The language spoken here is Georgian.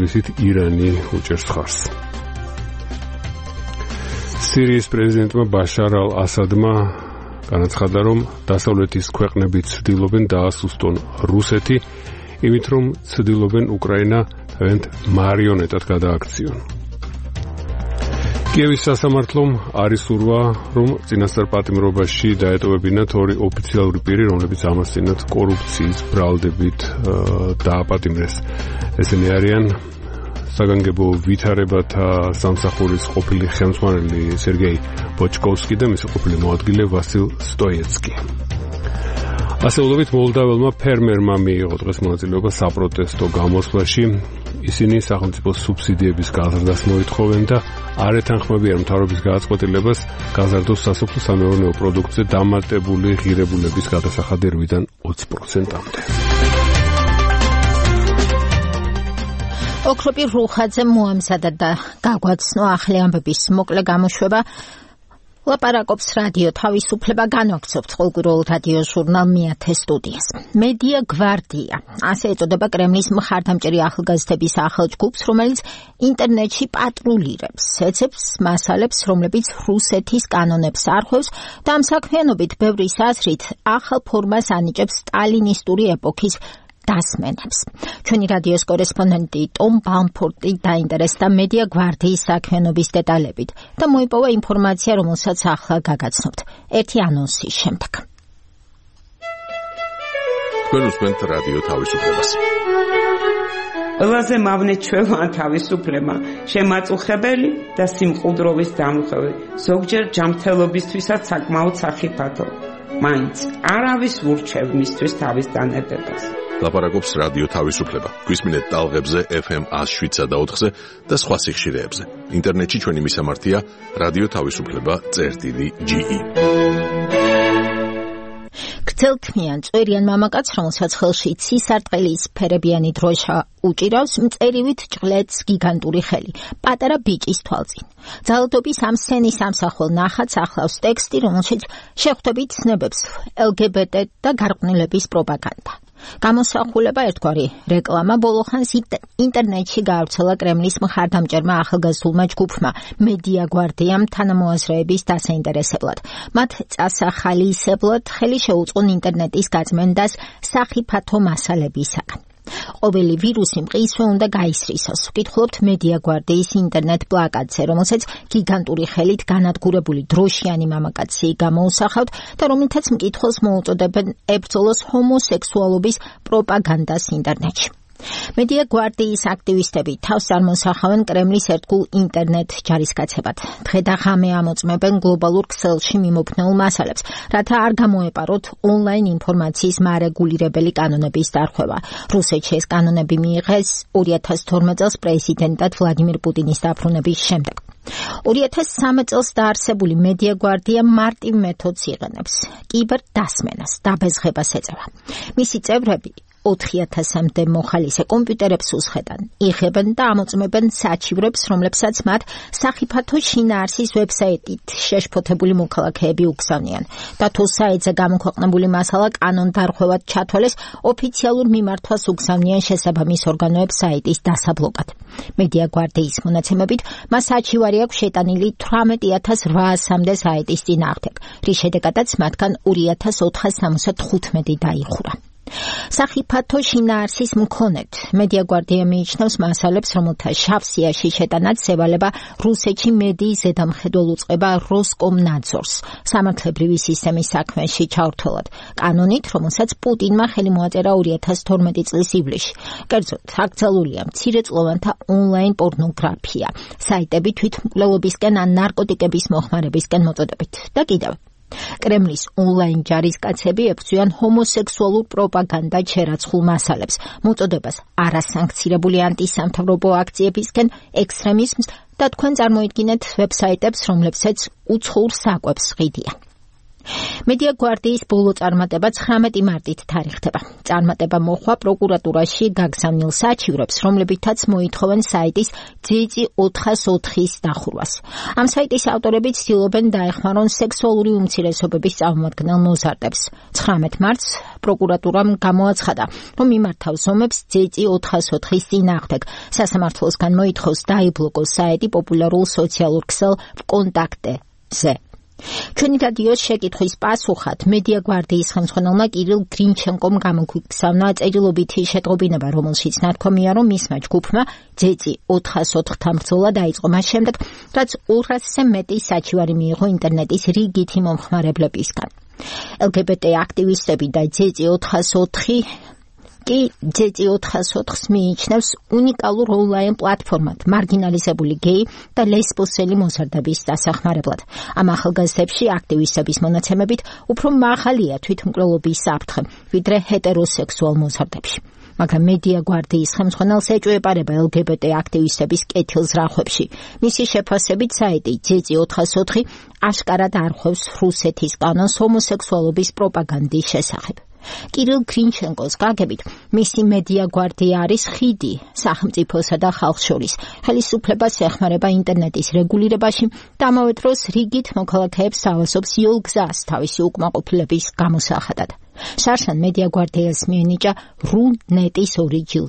უპირატესობით ირანი უჭერს ხარს. სირიის პრეზიდენტმა ბაშარ ალ-ასადმა განაცხადა, რომ დასავლეთის ქვეყნები ცდილობენ დაასუსტონ რუსეთი, იმით რომ ცდილობენ უკრაინა თავიანთ მარიონეტად გადააქციონ. კიევის სასამართლომ არის სურვა, რომ წინასწარ პატიმრობაში დაეტოვებინათ ორი ოფიციალური პირი, რომლებიც ამასწინათ კორუფციის ბრალდებით დააპატიმრეს. ესენი არიან საგანგებო ვითარებათა სამსახურის ყოფილი ხელმძღვანელი სერგეი ბოჩკოვსკი და მისი ყოფილი მოადგილე ვასილ სტოიეცკი. ასეულობით მოლდაველმა ფერმერმა მიიღო დღეს მონაწილეობა საპროტესტო გამოსვლაში. ისინი სახელმწიფო სუბსიდიების გაზრდას მოითხოვენ და არ ეთანხმებიან მთავრობის გადაწყვეტილებას გაზარდოს სასოფლო-სამეურნეო პროდუქტზე დამატებული ღირებულების გადასახადი 8-დან 20%-მდე. ოქროპი რუხაძე მოამზადა და გაგვაცნო ახალი ამბების მოკლე გამოშვება. ლაპარაკობს რადიო თავისუფლება, განვაგრძობთ ყოველკვირეულ რადიო ჟურნალ მეათე სტუდიას. მედია გვარდია, ასე ეწოდება კრემლის მხარდამჭერი ახალგაზრდების ახალ ჯგუფს, რომელიც ინტერნეტში პატრულირებს, ეცებს მასალებს, რომლებიც რუსეთის კანონებს არღვევს და ამ საქმიანობით ბევრის აზრით ახალ ფორმას ანიჭებს სტალინისტური ეპოქის დასმენებს. ჩვენი რადიოს კორესპონდენტი ტომ ბამფორტი დაინტერესდა მედია გვარდიის საქმიანობის დეტალებით და მოიპოვა ინფორმაცია, რომელსაც ახლა გაგაცნობთ. ერთი ანონსის შემდეგ. თქვენ უსმენთ რადიო თავისუფლებას. ყველაზე მავნე ჩვეულა თავისუფლება, შემაწუხებელი და სიმყუდროვის დამხევი, ზოგჯერ ჯანმრთელობისთვისაც საკმაოდ სახიფათო. მაინც არავის ურჩევ მისთვის თავის დანებებას. ლაპარაკობს რადიო თავისუფლება. გვისმინეთ ტალღებზე FM 107.4-ზე და სხვა სიხშირეებზე. ინტერნეტში ჩვენი მისამართია რადიო თავისუფლება.ge. გრძელთმიან წვერიან მამაკაც, რომელსაც ხელში ცისარტყელის ფერებიანი დროშა უჭირავს, მწერივით ჭყლეთს გიგანტური ხელი, პატარა ბიჭის თვალწინ. ძალადობის ამ სცენის ამსახველ ნახატს ახლავს ტექსტი, რომელშიც შეხვდებით ცნებებს LGBT და გარყვნილების პროპაგანდა. გამოსახულება ერთგვარი რეკლამა ბოლოხანს ინტერნეტში გაავრცელა კრემლის მხარდამჭერმა ახალგაზრდულმა ჯგუფმა მედია გვარდიამ თანამოაზრეების დასაინტერესებლად. მათ წასახალისებლად ხელი შეუწყონ ინტერნეტის გაწმენდას სახიფათო მასალებისაგან. ყოველი ვირუსი მყისვე უნდა გაისრისოს. ვკითხულობთ მედია გვარდიის ინტერნეტ პლაკატზე, რომელსაც გიგანტური ხელით განადგურებული დროშიანი მამაკაცი გამოუსახავთ და რომელთაც მკითხველს მოუწოდებენ ებრძოლოს ჰომოსექსუალობის პროპაგანდას ინტერნეტში. მედია გვარდიის აქტივისტები თავს წარმოსახავენ კრემლის ერთგულ ინტერნეტ ჯარისკაცებად. დღე და ღამე ამოწმებენ გლობალურ ქსელში მიმოფნეულ მასალებს, რათა არ გამოეპაროთ ონლაინ ინფორმაციის მარეგულირებელი კანონების დარღვევა. რუსეთში ეს კანონები მიიღეს 2012 წელს პრეზიდენტად ვლადიმირ პუტინის დაბრუნების შემდეგ. 2013 წელს დაარსებული მედია გვარდია მარტივ მეთოდს იღენებს. კიბერდასმენას, დაბეზღებას ეწევა. მისი წევრები 4000-მდე მოხალისე კომპიუტერებს უსხედან, იღებენ და ამოწმებენ საჩივრებს, რომლებსაც მათ სახიფათო შინაარსის ვებსაიტით შეშფოთებული მოქალაქეები უგზავნიან და თუ საიტზე გამოქვეყნებული მასალა კანონდარღვევად ჩათვალეს, ოფიციალურ მიმართვას უგზავნიან შესაბამის ორგანოებს საიტის დასაბლოკად. მედია გვარდიის მონაცემებით, მას საჩივარი აქვს შეტანილი 18800-მდე საიტის წინააღმდეგ, რის შედეგადაც მათგან 2475 დაიხურა. სახიფათო შინაარსის მქონედ მედია გვარდია მიიჩნევს მასალებს, რომელთა შავ სიაში შეტანაც ევალება რუსეთში მედიის ზედამხედველ უწყება როსკომნაძორს სამართლებრივი სისტემის საქმეში ჩავრთველად, კანონით, რომელსაც პუტინმა ხელი მოაწერა 2012 წლის ივლისში. კერძოდ, აკრძალულია მცირეწლოვანთა ონლაინ პორნოგრაფია, საიტები თვითმკვლელობისკენ ან ნარკოტიკების მოხმარებისკენ მოწოდებით და კიდევ. კრემლის ონლაინ ჯარისკაცები ებრძვიან ჰომოსექსუალურ პროპაგანდად შერაცხულ მასალებს, მოწოდებას არასანქცირებული ანტისამთავრობო აქციებისკენ, ექსტრემიზმს და თქვენ წარმოიდგინეთ ვებსაიტებს, რომლებსაც უცხოურ საკვებს ღიდიან. მედია გვარდიის ბოლო წარმატება 19 მარტით თარიღდება. წარმატება მოხდა პროკურატურაში გაგზავნილ საჩივრებს, რომლებითაც მოითხოვენ საიტის ძეწი 404-ის დახურვას. ამ საიტის ავტორები ცდილობენ დაეხმარონ სექსუალური უმცირესობების წარმომადგენელ მოზარდებს. 19 მარტს პროკურატურამ გამოაცხადა, რომ მიმართავს ომებს ძეწი 404-ის წინააღმდეგ. სასამართლოსგან მოითხოვს დაიბლოკოს საიტი პოპულარულ სოციალურ ქსელ VKontakte-ზე. ჩვენი რადიოს შეკითხვის პასუხად მედია გვარდიის ხელმძღვანელმა კირილ გრინჩენკომ გამოგვიგზავნა წერილობითი შეტყობინება, რომელშიც ნათქვამია, რომ მისმა ჯგუფმა ძეწი 404-თან ბრძოლა დაიწყო მას შემდეგ, რაც 200-ზე მეტი საჩივარი მიიღო ინტერნეტის რიგითი მომხმარებლებისგან. LGBT აქტივისტები და ძეწი 404 კი ძეწი 404-ს მიიჩნევს უნიკალურ ონლაინ პლატფორმად მარგინალიზებული გეი და ლესბოსელი მოზარდების დასახმარებლად. ამ ახალგაზრდებში აქტივისტების მონაცემებით უფრო მაღალია თვითმკვლელობის საფრთხე, ვიდრე ჰეტეროსექსუალ მოზარდებში. მაგრამ მედია გვარდიის ხელმძღვანელს ეჭვეპარება LGBT აქტივისტების კეთილ ზრახვებში. მისი შეფასებით საიტი ძეწი 404 აშკარად არხვევს რუსეთის კანონს ჰომოსექსუალობის პროპაგანდის შესახებ. კირილ გრინჩენკოს გაგებით, მისი მედია გვარდია არის ხიდი სახელმწიფოსა და ხალხს შორის. ხელისუფლებას ეხმარება ინტერნეტის რეგულირებაში და ამავე დროს რიგით მოქალაქეებს ავასობს იოლ გზას თავისი უკმაყოფილების გამოსახადად. შარშან მედია გვარდიას მიენიჭა RU-NET-ის 2 ჯილდო.